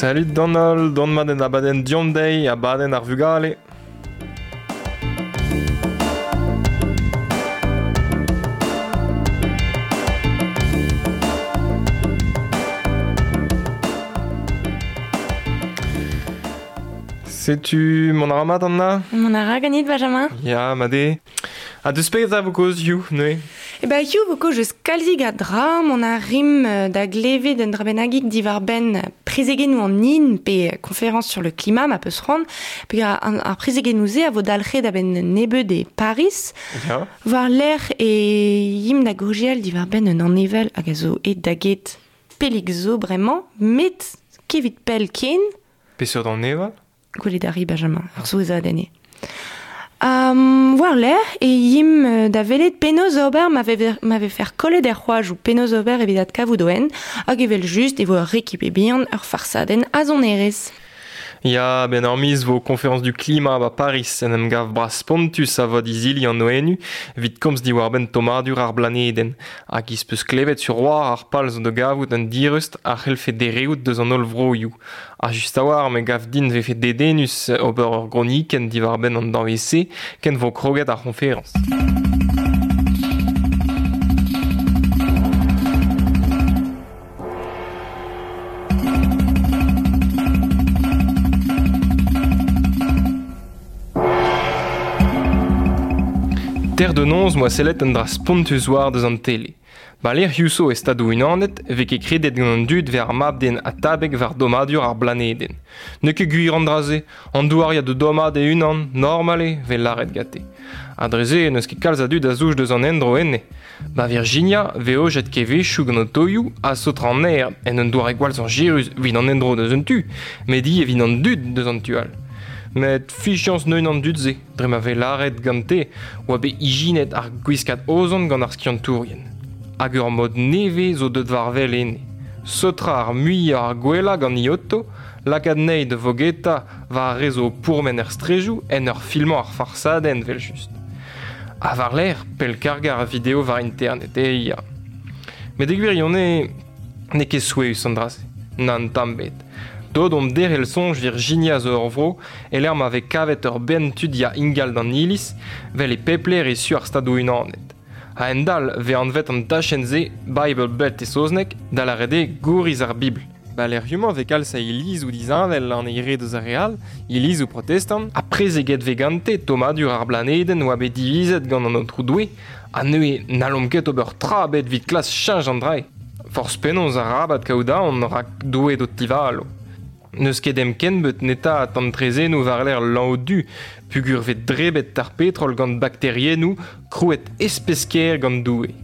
Salut d'an holl, dont mat en abadenn Deomp dezhi, abadenn ar vugale. Setu mont a ra mat Anna? Mont a ra ganit, Benjamin? Ya, mat eo. Ha deus petra vo kaoz hiziv, neuze? E ba hiziv vo kaoz eus kalzik a dra, mont a rimp da glevet un dra bennagik diwar-benn prezegennoù an hin pe conférence sur le climat ma peus c'hoant, pe ar prezegennoù-se a vo dalc'het a-benn nebeut e Paris. Ya. War-lerc'h e yimp da gaozeal diwar-benn un aneval hag a zo aet da get pellik zo bremañ, met kevit pell ken. Peseurt aneval? Gwelet a ri, Benjamin, ur souezhadenn eo. War-lerc'h e yimp da welet penaos ober ma vefer kollet er c'hoajoù, penaos ober evit adkavout o hent, hag evel-just e vo ur rekipe bihan, ur farsadenn a sonerezh. Ya, 'benn ur miz 'vo Conférence du climat 'ba Pariz en em gav bras-spontus a vod izili an ONU evit komz diwar-benn tommadur ar blanedenn. Hag iz peus klevet sur war ar pal zo da gavout un direust a c'hellfe dereout deus an holl vroioù. Ha just a-walc'h me gav din 'vefe dedennus ober ur gronikenn diwar-benn an danvez-se ken 'vo kroget ar c'hoñferañs. Ter de noz 'moa sellet un dra spontus war deus an tele. Ba lec'hioù zo e Stadoù-Unanet e vez ket kredet gant an dud 'vez ar mab-den atabeg war dommadur ar blanedenn. N'eo ket gwir an dra-se, an douar ya da dommaat e-unan, normal eo, 'vez lâret gante. Ha dre-se n'eus ket kalz a dud a zouj deus an endro enne. Ba Virginia 'vez aojet kevezhioù gant otoioù ha saotr an aer en un doare gwall zañjerus evit an endro deus un tu, met ivez evit an dud deus an tu all. Met fiziañs 'neuint an dud-se. Dre ma vez lâret gante oa bet ijinet ar gwiskad ozon gant ar skiantourien. Hag ur mod nevez zo deuet war-wel enne. Saotrañ ar muiañ ar gwellañ gant Ioto, lakaat anezhi da vogetañ war ar re zo o pourmen er straejoù en ur filmañ ar farsadenn evel-just. Ha war-lerc'h pellkargañ ar video war internet, eh ya. Met e gwirionez, N'eo ket souezhus an dra-se, nann tamm ebet. Deuet omp derc'hel soñj Virginia zo ur vro e-lec'h ma vez kavet ur bern tud ya ingal d'an iliz, 'vel e pep lec'h e su ar Stadoù-Unanet. A-hend-all 'vez anvet an dachenn-se Bible Belt e saozneg, da lâret eo gouriz ar Bibl. Ba lec'hioù-mañ 'vez kalz a ilizoù disheñvel an eil re deus ar re all, ilizoù protestant, ha prezeget 'vez gante tommadur ar blanedenn 'oa bet divizet gant an Aotrou Doue, ha neuze n'hallomp ket ober tra ebet evit klask cheñch an dra-se. Forzh penaos arabat kaout aon rak Doue d'ho tivalo. N'eus ket em kenbeut netaat an traezhennoù war-lerc'h lanv du peogwir 'vez drebet ar petrol gant bakteriennoù krouet espes-kaer gant Doue.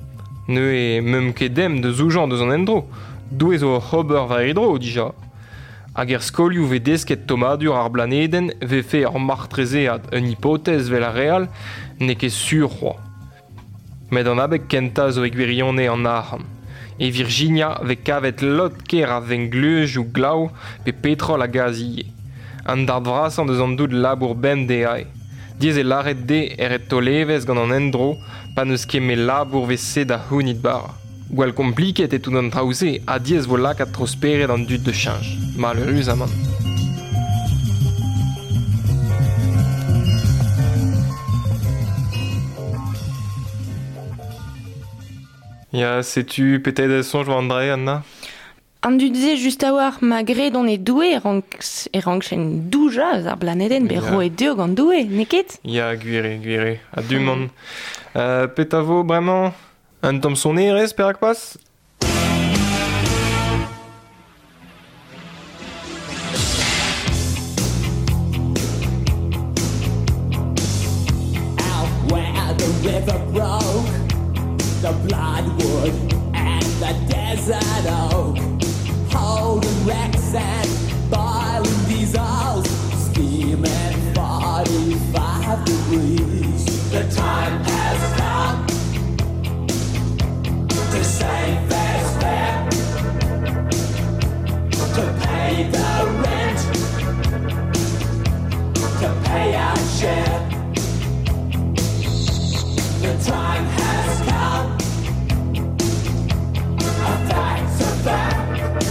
Neuze 'meump ket dem da zoujañ deus an endro. Doue zo oc'h ober war e dro dija. Hag er skolioù 'vez desket tommadur ar blanedenn 'vefe ur martrezead, un hipotez 'vel ar re all, n'eo ket sur c'hoazh. Met an abeg kentañ zo e gwirionez an arc'hant. E Virginia 'vez kavet lod-kaer a vengleuzioù glav pe petrol ha gaz ivez. An darn vrasañ deus an dud labour bemdez aze. Diaes eo lâret dezhe e ret taol evezh gant an endro pa n'eus ket met labour 'vez-se da c'hounit bara. Gwall kompliket eo tout an traoù-se ha diaes 'vo lakaat tro-spered an dud da cheñch, maleüruzamant. Ya, setu petet soñj war an dra-se, Anna? An dud-se just a-walc'h ma gredont e Doue e rank e rankjent doujañ eus ar blanedenn bet roet dezho gant Doue, n'eo ket? Ya, gwir eo, gwir eo. Ha du-mañ. Petra 'vo bremañ? Un tamm sonerezh, perak pas? Out where the river broke, the bloodwood and the desert oak, holding wrecks and boiling diesels, steaming 45 degrees. The time has come to save this fair, to pay the rent, to pay our share. The time has come. A fact's a fact.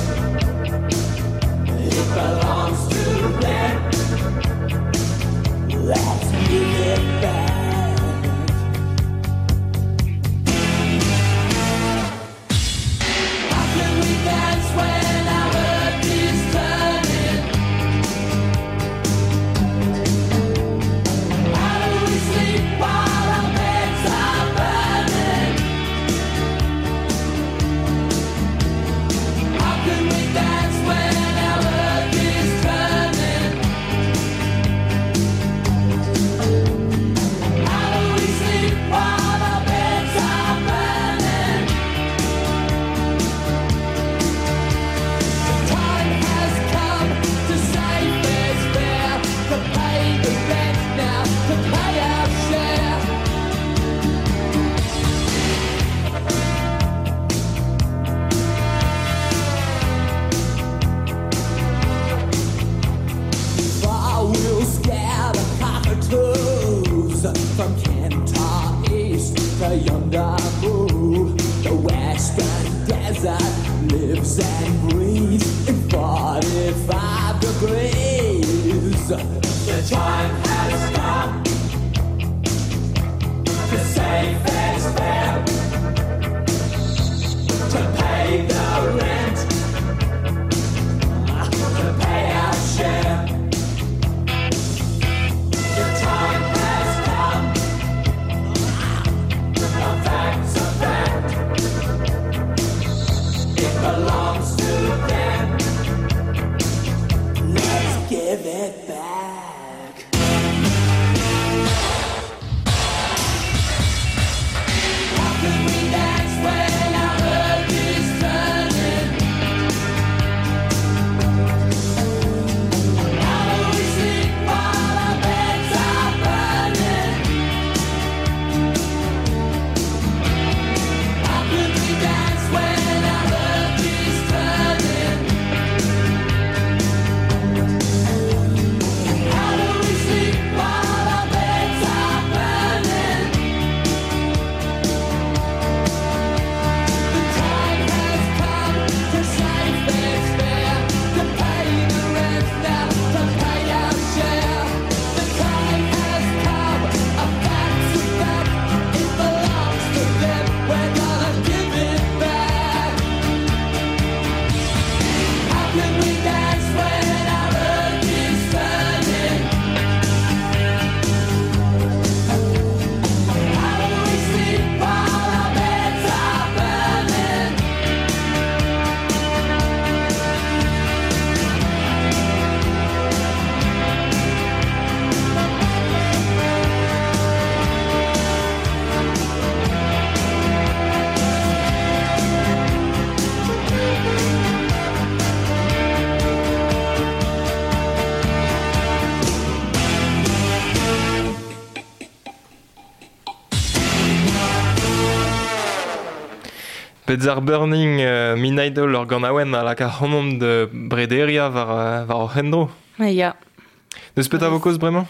If the desert lives and breathes in 45 degrees. The time has come to say fair's fair, to pay the rent, to pay our share. The time has come. A fact's a fact. It belongs to them. Let's give it back. How can we dance when our earth is turning? How do we sleep while our beds are burning? How can we dance when our earth is turning? How do we sleep while our beds are burning? The time has come to say fair's fair, to pay the rent now, to pay our share. The time has come, a fact's a fact, it belongs to them, we're gonna give it back. How can we dance when our earth is turning? How do we sleep while our beds are burning? Beds ar Burning Midnight Oil ur ganaouenn a laka c'hanomp de brederia war hor c'hendro. Ya. Deus petra vo kaoz bremañ?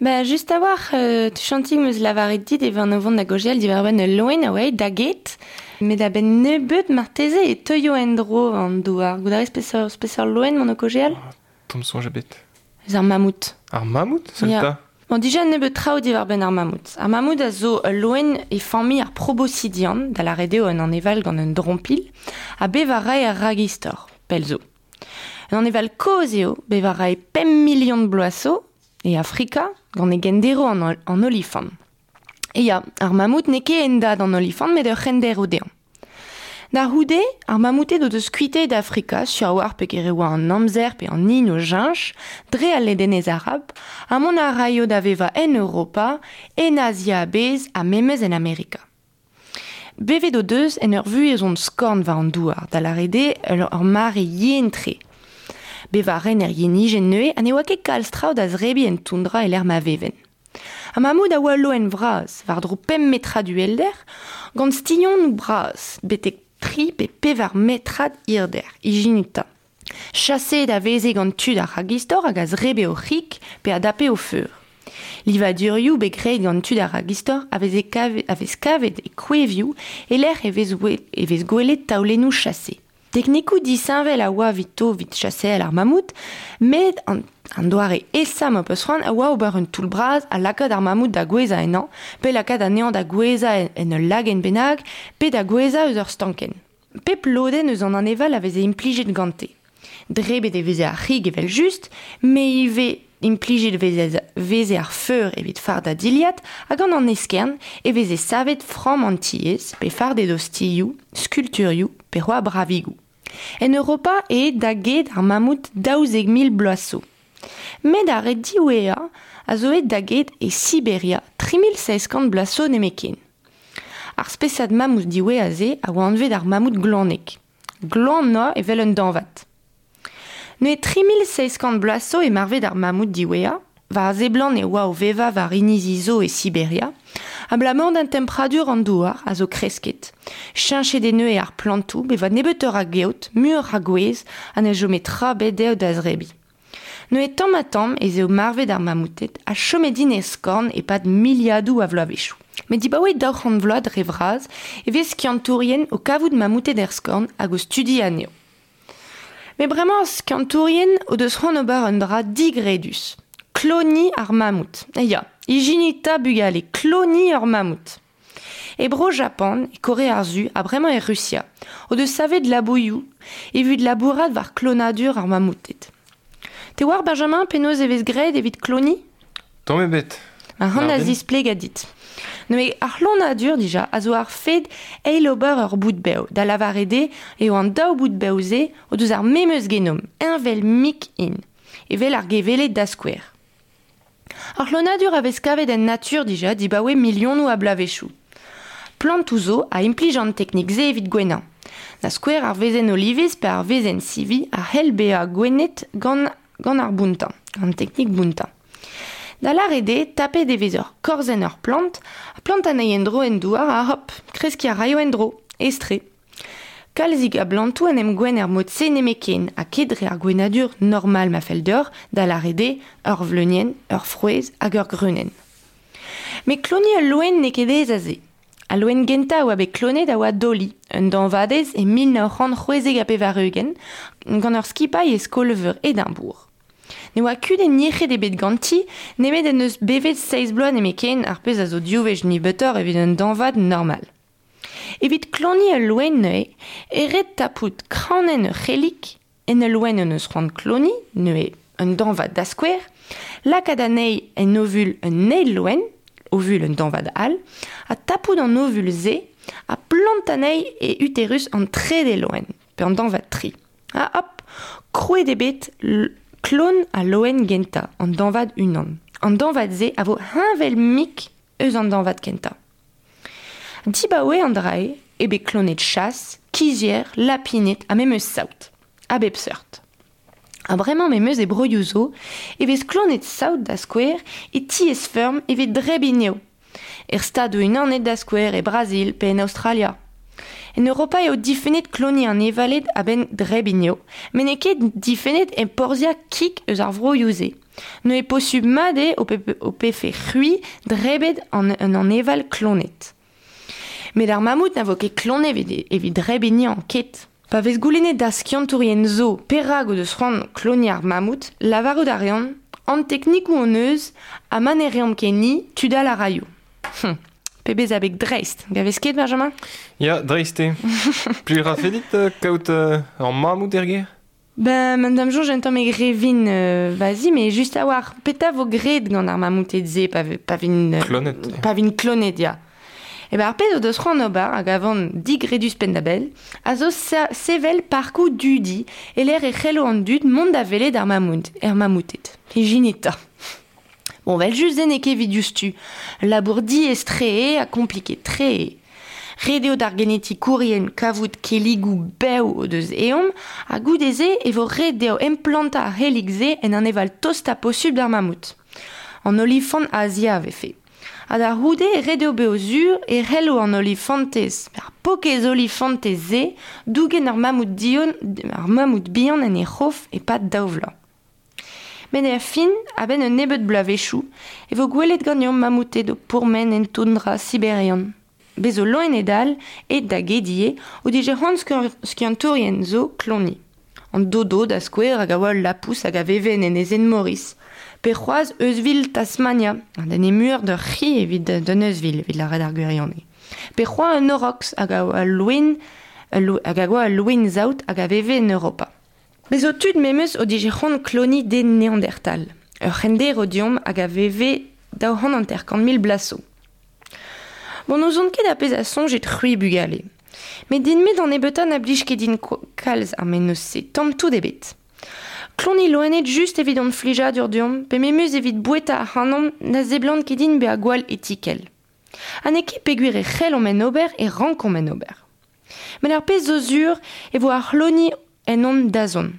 Ba, just a war, tu chantig meus lavaret dit e van o vont da gojel diwar-benn ul loen a oa da get, met a-benn nebeut marteze e teuio en-dro an douar. Goût a rez peseurt loen mont o kojel? Oh, tamm soñj ebet. Eus ar mammouth. Ar mammouth, sell Ya. ta? Bon, dija nebeut traoù diwar-benn ar mammouth. Ar mammouth a zo ul loen e familh ar proboscidian, da lâret eo un aneval gant un drompil, ha bev a rae ar ragistor, pell zo. Un aneval kozh eo, bev a rae 5 million de bloaz zo, e Afrika, gant e gendero an olifant. E ya, ar mammouth n'eo ket endad an olifant, met ur c'hendero dezhañ. Da c'houde, ar mammouted o deus kuitaet Afrika, sur a war pe ket e oa an amzer pe an hin o jiñch, dre al ledenez arab, ha mont a raio da vevañ en Europa, en Azia a-bezh ha memes en Amerika. Bevet o deus en ur vuhez ont skorn war an douar, da lâret eo ur mare yen-tre. Bevañ a ren er yenijenn neuze ha ne oa ket kalz traoù da zrebiñ en toundra e lec'h ma veven. Ar mammouth a oa loen vras, war-dro 5 metrad uhelder, gant stignonoù bras, betek tri pe pevar metrad hirder, ijinuta. Chaseet a veze gant tud ar ragistor hag a zrebe o c'hig pe a dape o feur. Livadurioù bet graet gant tud ar ragistor a veze a vez kavet e kouevioù e lec'h e vez gwelet taolennoù chase. Teknikoù disheñvel a oa evito evit chaseal ar mammouth, met an doare aesañ ma peus c'hoant a oa ober un toull bras ha lakaat ar mammouth da gouezhañ ennañ, pe lakaat anezhañ da gouezhañ en ul lagenn bennak, pe da gouezhañ eus ur stankenn. Pep lodenn eus an aneval a veze implijet gante. Drebet e veze ar c'hig evel just, met ivez implijet veze ar feur evit fardañ dilhad, hag gant an eskern e veze savet framm an tiez, pe fardet ostilhoù, skulturioù, pe c'hoazh bravigoù. En Europa eo da get ar mammouth 12 000 bloaz zo. Met ar re diwezhañ a zo aet da get e Siberia 3700 bloaz zo nemetken. Ar spesad mammouth diwezhañ-se a oa anvet ar mammouth glanek. Glan oa evel un dañvad. Neuze 3700 bloaz zo e marvet ar mammouth diwezhañ, war seblant e oa o vevañ war inizi zo e Siberia, abalamour d'an tempradur an douar a zo kresket. Cheñchet eo neuze ar plantoù, bevañ nebeutoc'h a geot, muioc'h a gwez, ha ne chome tra bet dezho da zrebiñ. Neuze tamm ha tamm ez eo marvet ar mammouted ha chomet int e skorn e-pad miliadoù a vloavezhioù. Met dibaoe 200 vloaz dre vras e vez skiantourien o kavout mamouted er skorn hag o studiañ anezho. Met bremañ ar skiantourien o deus c'hoant ober un dra digredus. Kloniñ ar mamout. E ya, ijinit 'ta bugale, kloniñ ur mamout. E Bro-Japan, e Kore ar Su ha bremañ e Rusia o deus savet labourioù evit labourat war klonadur ar mamouted. Te oar Benjamin penaos e vez graet evit kloniñ? Tamm ebet. Ar c'hant a zisplega dit. Neuze ar c'hlonadur dija a zo ar fed eil ober ur boud bev, da lavaret eo eo an daou boud bev-se o deus ar memes genom, heñvel-mik int, evel ar geveled da skouer. Ar c'hlonadur a vez kavet en natur dija dibaoe milionoù a bloavezhioù. Plantoù zo a implij an teknik-se evit gouennañ. Da skouer ar wezenn olivez pe ar wezenn sivi a c'hell bezañ gouennet gant gant ar bountañ, an teknik bountañ. Da lâret eo, tapet e vez ur korzenn ur plant, ha plant anezhi en-dro en douar ha hop, kreskiñ a raio en-dro, aes-tre. Kalzik a blantoù en em gouenn er mod-se nemetken ha ket dre ar gouennadur normal ma fell deoc'h, da lâret eo ur vleunienn, ur frouezh hag ur greunenn. Met kloniñ ul loen n'eo ket aes aze. Al loen gentañ a oa bet klonet a oa Dolly, un dañvadez e 1996 gant ur skipailh e skol-veur Edimbourg. Ne oa kudenn yec'hed ebet ganti, nemet en deus bevet seizh bloaz nemetken, ar pezh a zo div wech nebeutoc'h evit un dañvad normal. Evit kloniñ ul loen neuze e ret tapout kranenn ur c'hellig en ul loen en deus c'hoant kloniñ, neuze un dañvad da skouer, lakaat anezhi en ovul un eil loen, ovul un dañvad all, ha tapout an ovul-se ha plant anezhi e uterus an trede loen, pe an dañvad tri. Ha hop, krouet eo bet klon al loen gentañ, an dañvad unan. An dañvad-se a vo heñvel-mik eus an dañvad kentañ. Dibaoe an dra-se eo bet klonet chas, kizhier, lapined ha memes saout, a bep seurt. Ha bremañ memes e broioù zo e vez klonet saout da skouer e tiez-feurm evit drebiñ eo. Er Stadoù-Unanet da skouer, e Brazil pe en Aostralia. En Europa eo difennet kloniñ an evaled a-benn drebiñ eo, met n'eo ket difennet enporzhiañ kig eus ar vroioù-se. Neuze posubl mat eo ho pefe c'hwi drebet an un aneval klonet. Met ar mamout na vo ket klonet evit drebiñ ket. Pa vez goulennet da skiantourien zo perak o deus c'hoant kloniñ ar mamout, lavarout a reont an teknikoù hon eus ha ma ne reomp ket ni, tud all a raio. Pebezh abeg dreist, gavez ket, Benjamin? Ya, dreist eo. Plij 'rafe dit kaout ur mamout er gêr? Ben, ma da'm soñj un tammig re vin vas-y, mais just a-walc'h, petra vo graet gant ar mamouted-se pa, pa vin... Klonet. Pa vin klonet, ya. E ben ar pezh o deus c'hoant ober, hag a van digredus penn-da-benn, a zo sevel parkoù dudi e-lec'h e c'hello an dud mont da welet ar mamout, er mamouted. Ijinit 'ta. Bon, 'vel-just se n'eo ket evit diouzhtu. Labour diaes-tre eo ha kompliket-tre eo. Ret eo d'ar genetikourien kavout kelligoù bev o deus ezhomm ha goude-se e vo ret dezho emplantañ ar c'hellig-se en aneval tostañ posubl d'ar mamout. An olifant Azia a vefe. Ha da c'houde ret eo bezañ sur e c'hello an olifantez, ar paourkaezh olifantez-se, dougen ar mamout dion, ar mamout bihan en he c'hof e-pad daou vloaz. Met er fin, a-benn un nebeud bloavezhioù, e vo gwelet ganeomp mamouted o pourmen en toundra siberian. Bez' zo loened all, aet da get ivez, o dije c'hoant skiantourien zo kloniñ. An dodo, da skouer, hag a oa ul lapous hag a veve en enezenn Maurice. Pe c'hoazh euzhvil Tasmania, un den emeur d'ur c'hi evit d'un euzhvil, evit lâret ar gwirionez. Pe c'hoazh un aurochs hag a oa loen, hag a oa ul loen-saout hag a veve en Europa. Bez' zo tud memes o dije c'hoant kloniñ den Neandertal, ur c'henderv deomp hag a veve 250 mil bloaz zo. Bon, n'ouzon ket ar pezh a soñjit-c'hwi bugale. Met din-me d'an nebeutañ na blij ket din kalz ar mennozh-se, tamm tout ebet. Kloniñ loened just evit hon flijadur deomp, pe memes evit boueta ac'hanomp na seblant ket din bezañ gwall etikel. Ha n'eo ket peogwir e c'hellomp en ober e rankomp en ober. Met ar pezh zo sur e vo ar c'hloniñ en hon dazont.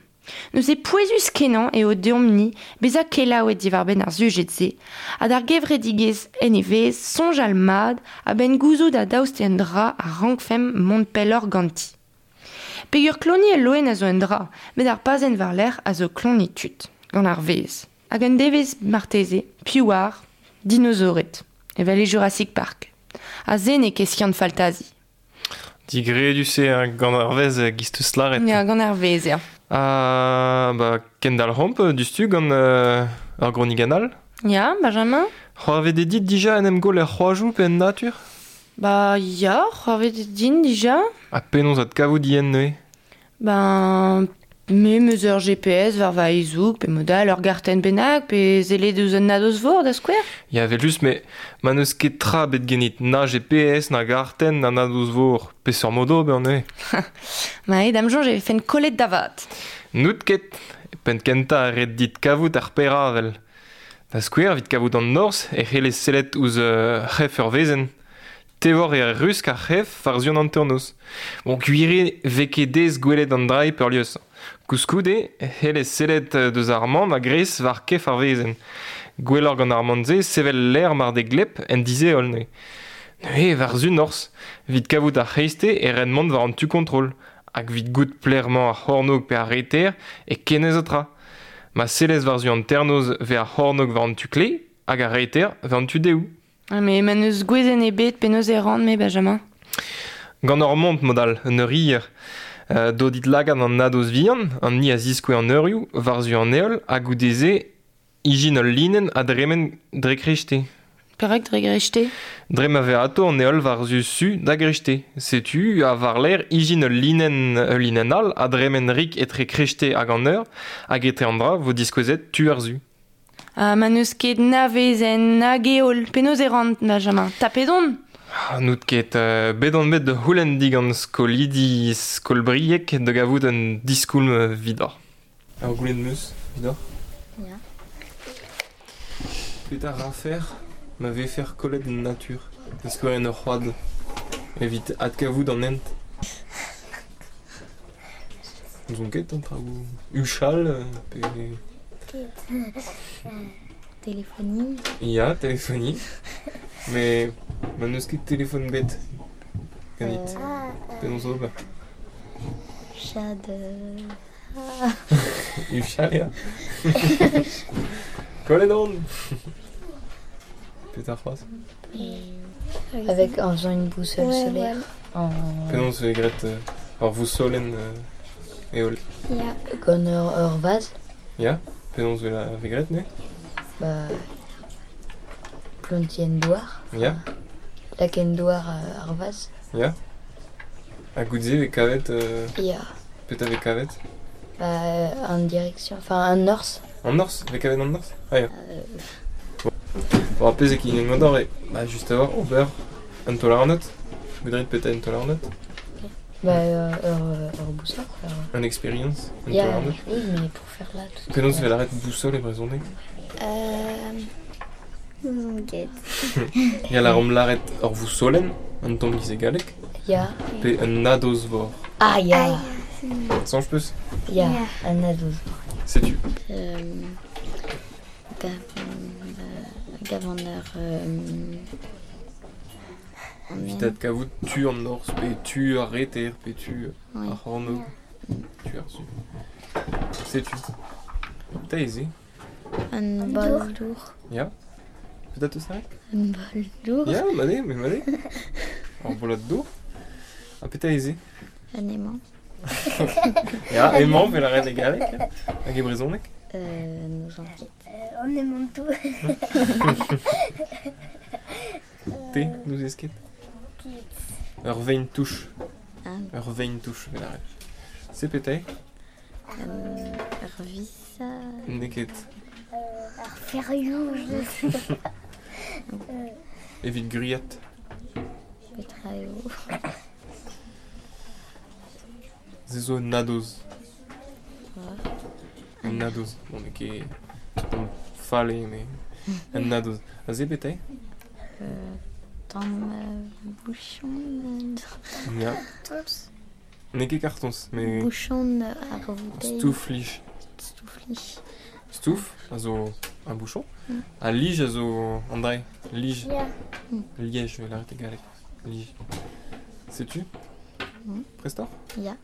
Neuze pouezus-kenañ eo deomp-ni bezañ kelaouet diwar-benn ar sujed-se ha d'ar gevredigezh en he fezh soñjal mat a-benn gouzout ha daoust un dra a rankfemp mont pelloc'h ganti. Peogwir kloniñ ul loen a zo un dra, met ar pazenn war-lerc'h a zo kloniñ tud, gant ar vezh. Hag un devezh marteze, piv 'oar, dinozored, evel e Jurassic Park. Ha se n'eo ket skiant-faltazi. Digredus eo gant ar vezh giz 'teus lâret. Ya, gant ar vezh, ya. Ha ba kendalc'homp diouzhtu gant ur gronikenn all. Ya, Benjamin? C'hoarvet eo dit dija en em goll er c'hoajoù pe en natur? Ba ya, c'hoarvet eo din dija. Ha penaos adkavout yen neuze? Ben, me 'meus ur GPS war va hezoug pe mod all ur gartenn bennak pe sellet ouzh un nadoz-vor da skouer. Ya, evel-just, met ma n'eus ket tra bet ganit na GPS, na gartenn, na nadoz-vor, peseurt mod ober neuze? Ma eo da'm soñj e vefen kollet da vat. N'out ket. Penn kentañ ret dit kavout ar peravel. Da skouer, evit kavout an norzh e c'hellez sellet ouzh c'hef ur wezenn. Tevoc'h eo rusk ar c'hef war-zu an hanternoz. Bon, gwir eo 'vez ket aes gwelet an dra peurliesañ. Koulskoude e c'hellez sellet deus ar man a-greiz war kef ar wezenn. Gwelloc'h gant ar man-se sevel lec'h mar d'eo gleb en disheol neuze. Neuze war-zu norzh, evit kavout ar c'hreisteiz e ren mont war an tu kontrol. Hag evit goût pelec'h-mañ ar c'hornôg pe ar reter e kenez ha tra. Ma sellez war-zu hanternoz 'vez ar c'hornôg war an tu kleiz hag ar reter war an tu dehoù. Ah, mais ma n'eus gwezenn ebet, penaos e ran-me, Benjamin? Gant ur mont mod all, un eurier. Dodit lagad an nadoz vihan, an ni a ziskouez an eurioù, war-zu an heol, ha goude-se ijin ul linenn a dremen dre kreisteiz. Perak dre greisteiz? Dre ma vez atao an heol war-zu su da greisteiz. Setu ha war-lerc'h ijin ul linenn ul linenn all a dremen rik etre kreisteiz hag an eur, hag etre an dra vo diskouezet tu ar su. Ha ma n'eus ket na vezenn nag heol, penaos e ran, Benjamin? Tapet on! Ah, n'out ket. Bet on bet da c'houlenn digant skolidi skol Brieg da gavout un diskoulm evidoc'h. Ur goulenn 'm eus evidoc'h. Ya. Petra rafec'h ma vefec'h kollet en natur, da skouer en ur c'hoad, evit adkavout an hent? N'ouzon ket an traoù huchal pe... Téléphoniñ. Ya, téléphoniñ. Mais ma n'eus ket téléphone bet ganit. Penaos ober? Chad. Huchal, ya. Kollet on! Petra c'hoazh? Avec en faisant une boussole Ouais, solaire. En... Penaos e graet ur vousolenn heol? Ya. Gant ur, ur vazh. Ya, penaos e vez graet neuze? Bah, plantiñ en douar. Ya. Lakaat en douar ar vazh. Ya. Ha goude e vez kavet... Ya. Petra vez kavet? Bah, en direction, enfin, an norzh. An norzh? Vez kavet an norzh? Ah ya. Bon, ar pezh eo kinnig eo bah, just a-walc'h ober un taol-arnod. Goudrit petra un taol-arnod? Bah, ur, ur boussole, quoi. Un expérience, un Ya, taol-arnod. oui, mais pour faire là tout. Penaos e vez lâret boussole e brezhoneg? N'ouzon ket. Ya, lâromp lâret ur vousolenn, un tamm giz e galleg, Ya. pe un nadoz-vor. Ah, ya. Soñj 'peus? Ya, un nadoz. Setu. Gavon ur... Evit adkavout tu an norzh pe tu ar reter pe tu ar c'hornôg, tu ar su. Setu. Petra eo se? Un bol dour. Ya. Petra 'teus lâret? Un bol dour. Ya, mat eo, mat eo. Ur bolad dour. Ha petra eo se? Un aimant. Ya, emañ 'vel lâret e galleg hag e brezhoneg? N'ouzon ket. On aimant tout. Te, n'ouzez ket? Ur vein touch. Ah. Ur vein touch, 'vel lâret. Se petra eo? Ur vis. N'eo ket. Ar ferioù, je sais. Evit gwriat. Petra eo? Se zo un nadoz. Un nadoz. Bon, n'eo ket tamm fall eo, mais un nadoz. Ha se petra eo? Tamm bouchon. Ya. N'eo ket kartoñs, mais Bouchon ar bouteille. Stouf-lij. Stouf-lij. Stouf a zo un bouchon. Ha lij a zo an dra Lij. Ya. Liège, 'vel lâret e galleg. Lij. Setu? Prest oc'h? Ya.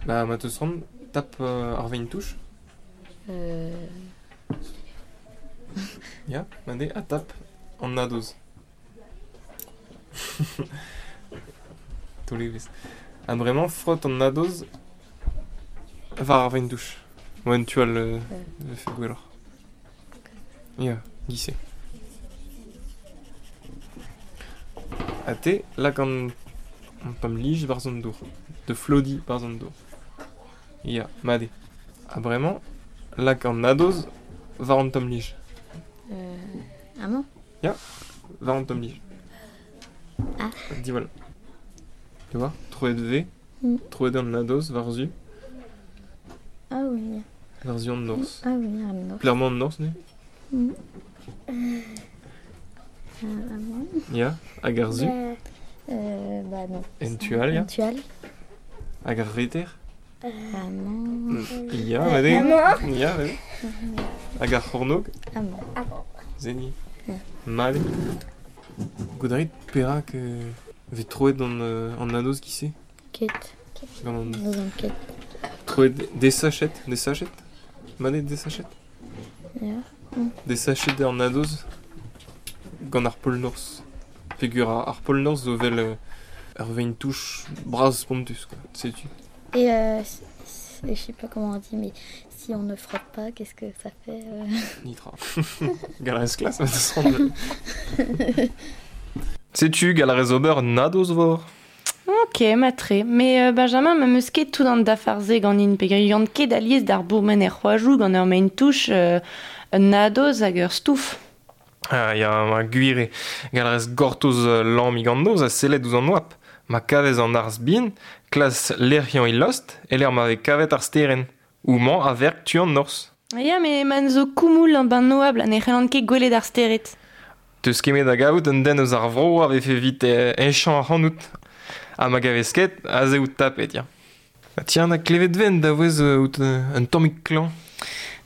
Bah, ma teus c'hoant, tap ar vein touch. Ya, mat eo, ha tap an nadoz. Taol evezh. Ha bremañ frot an nadoz war ar vaen-douch. Oa un tu all vefe gwelloc'h. Ya, giz-se. Ha te, lak an, an tamm lij barzh an dour. De flodi barzh an dour. Ya, mat eo. Ha bremañ, lak an nadoz war an tamm lij. Amañ? Ya, war an tamm lij. Ah. Diwall. Tu vois, troet vez, Mm. troet an nadoz war-zu, Ah oui. war-zu an norzh. Ah oui, an norzh. Clairement an norzh, ne? Mm. Amañ? Ya, hag ar su, Bah non. en tu all, ya. En tu all. Hag ar reter. Amañ. Ya, mat eo. Ya, mat eo. Hag ar c'hornôg, Amañ. Zeni. Ya. Mat eo. Goût a rit perak vez troet an, an nadoz giz-se Ket. Gant an... N'ouzon ket. Troet desachet, desachet Mat eo desachet Ya. Desachet eo an nadoz gant ar pol norzh. Peogwir ar pol norzh zo vel ur vein-touch bras spontus, quoi. Setu. Et je sais pas comment on dit, mais si on ne frotte pas, qu'est-ce que ça fait Nitra. Galarez klas, ma deus ran. Setu, galarez ober nadoz vor. Ok, matre. Mais Benjamin, ma meus ket tout an dafarze ganin, peogwir yann ket alies d'ar bourmen er c'hoajoù gant ur maen-touch un nadoz hag ur stouf. Ah, ya, ma gwir eo. Galarez gortoz lammig an noz a sellet ouzh an oabl. Ma kavez an arzh bihan, klas lec'hiañ il lost, e lec'h ma vez kavet ar sterenn. Houmañ a verk tu an norzh. Ya, mais man zo koumoul an ban oabl ha ne c'hellan ket gwelet ar stered. Teus ket da gavout un den eus ar vro a vefe evit heñchañ ac'hanout. Ha ma gavez ket, aze out tapet, ya. Ha tiens, na klevet ven da vouez out un tammig klañv.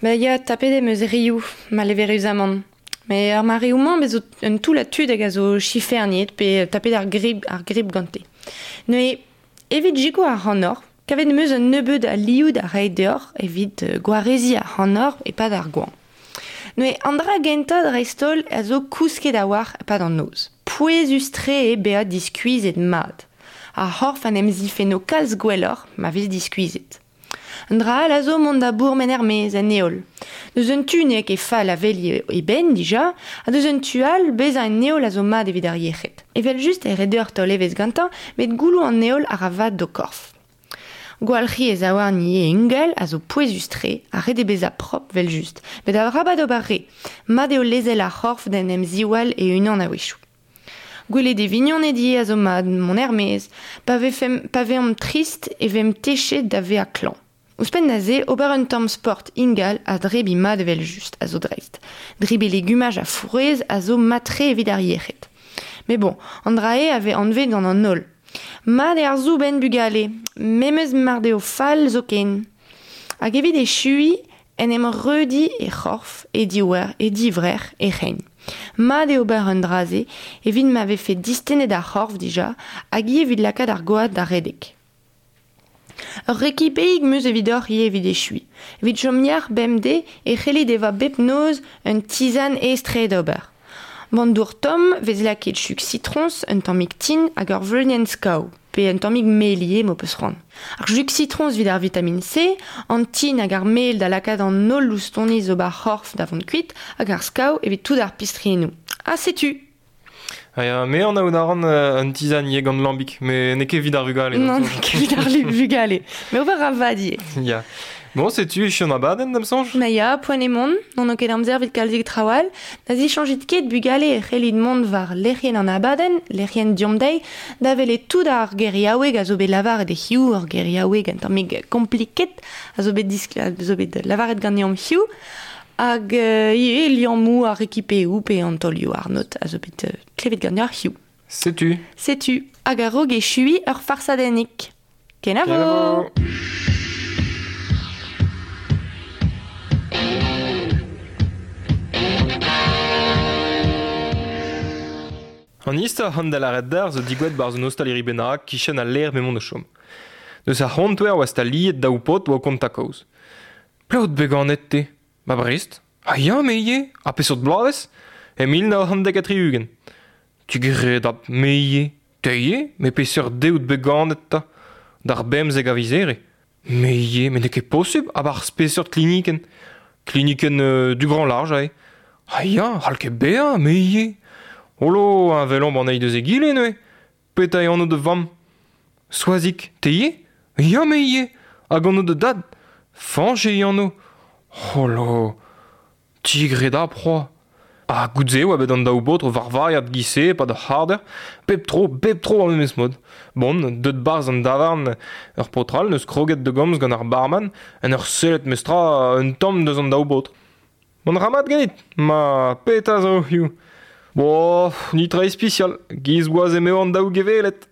Ba ya, tapet em eus rioù, maleveruzamant. Mais ar mareoù-mañ bez zo un toull a tud hag a zo chiferniet pe tapet ar grip gante. Neuze, evit jiko ar c'hannor, kavet em eus un nebeud a lioù da reiñ deoc'h evit gwareziñ ar c'hannor e-pad ar goañv. Neuze, an dra gentañ dreist-holl a zo kousket a-walc'h e-pad an noz. Pouezus-tre eo bezañ diskuizhet mat. Ar c'horf en em zifenno kalz gwelloc'h ma vez diskuizhet. An dra all a zo mont da bourmen er-maez en heol. Deus un tu n'eo ket fall aveliñ e benn dija, ha deus un tu all bezañ en heol a zo mat evit ar yec'hed. Evel just e ret deoc'h taol evezh gantañ, met gouloù an heol a ra vad d'ho korf. Gwalc'hiñ e zaouarn ivez ingal a zo pouezus-tre, ha ret eo bezañ propr vel just. Met arabat ober re, mat eo lezel ar c'horf d'en em ziwall e-unan a-wechoù. Gwelet e vignoned ivez a zo mat mont er-maez, pa veomp trist e vemp techet da vezañ klañv. Ouzhpenn da se, ober un tamm sport ingal ha drebiñ mat evel just a zo dreist. Drebiñ legumaj ha frouezh a zo mat-tre evit ar yec'hed. Mais bon, an dra eo a vez anvet gant an holl. Mat eo ar soubenn bugale, memes mar deo fall zoken. Hag evit echuiñ, en em reudiñ e c'horf, e diouer, e divrec'h, e c'hein. Mat eo ober an dra-se evit ma vefe distennet ar c'horf dija hag ivez evit lakaat ar gwad da redek. Ur rekipeig 'm eus evidoc'h ivez evit echuiñ. Evit chom yac'h bemdez e c'hellit evañ bep noz un tizan aes-tre d'ober. Gant dour tomm vez lakaet chug sitroñs, un tammig tin hag ur vleunienn skav, pe un tammig mel ivez m'ho peus c'hoant. Ar chug sitroñs evit ar vitamine C, an tin hag ar mel da lakaat an holl loustoni zo bar c'horf da vont kuit, hag ar skav evit tout ar pistriennoù. Ha setu! Ah ya, me an aout a ran un tizan ivez gant lambig, met n'eo ket evit ar vugale. Non, n'eo ket evit ar vugale. Mais ober a vad ivez. Ya. Bon, setu echu an abadenn, da'm soñj? Ma ya, poent eo mont, n'on ket amzer evit kalzik traoù all, na zichañjit ket bugale e c'hellit mont war lec'hienn an abadenn, lec'hienn Deomp Dezhi, da welet tout ar geriaoueg a zo bet lavaret e hiziv, ur geriaoueg un tammig kompliket a zo bet zo bet lavaret ganeomp hiziv, hag ivez liammoù ar rekipeoù pe an taolioù arnod a zo bet klevet ganeoc'h hiziv. Setu. Setu, hag a-raok echuiñ ur farsadennig. Kenavo! Kenavo! An istor c'hant da lâret d'ar zo digouet barzh un ostaleri bennak kichen al lec'h m'emaon o chom. Deus ar c'hontouer oa staliet daou paotr oa kontañ kaoz. Pelec'h out bet ganet te? Ba Brest? Ha ya, me ivez. Ha peseurt bloavezh? E 1970. Tu gredabl, me ivez. Te ivez? Met peseurt deiz out bet ganet 'ta? D'ar bemzek a viz Here. Me ivez, met n'eo ket posubl a-barzh peseurt klinikenn? Klinikenn euh, du Grand Large aze. Ah ya, c'hall ket bezañ, me ivez. Holo, heñvelomp an eil deus egile neuze. Petra eo anv da vamm? Soazig, te ivez? Ya, me ivez. Hag anv da dad? Fañch eo e anv. Holo, tigredapr Ha goude-se e oa bet an daou baotr o varvailhat giz-se e-pad ur c'hardeur, pep tro, bep tro ar memes mod. Bon, deut 'barzh an davarn ur paotr all 'neus kroget da gomz gant ar barman en ur sellet mestra un tamm deus an daou baotr. Mont a ra mat ganit? Ma, petra zo hiziv? Bo, netra ispisial, giz 'oa eo an daou gevellet.